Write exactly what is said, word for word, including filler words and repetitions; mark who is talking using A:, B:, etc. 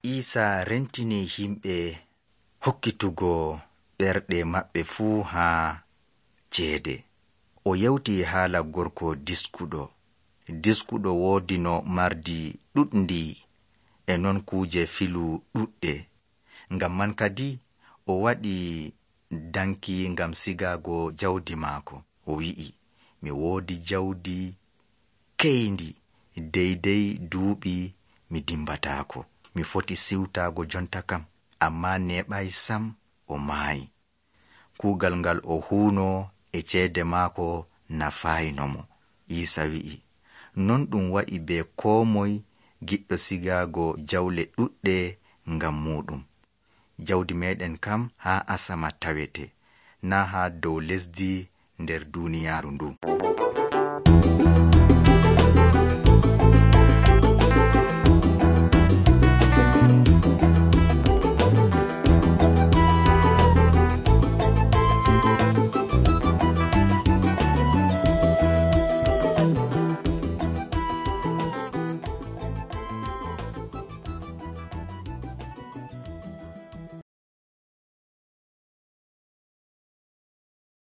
A: Iisa rentini himɓe hokkitugo ɓerɗe maɓɓe fuu haa ceede. O yewti haala gorko diskuɗo. Diskuɗo woodi no mardi ɗuɗndi e non kuuje filu ɗuɗɗe. Ngam man kadi o waɗi danki ngam sigaago jawdi maako. O wi'i, mi woodi jawdi keyndi deydey duuɓi mi dimbataako. Mi foti siwtaago jonta kam, ammaa neeɓay sam o maayi. Kuugal ngal o huuno e ceede maako nafayno mo. Iisa wi'i, non ɗum wa'i be koo moy giɗɗo sigaago jawle ɗuɗɗe ngam muuɗum. Jawdi meeɗen kam haa asama tawete, naa haa dow lesdi nder duuniyaaru ndu.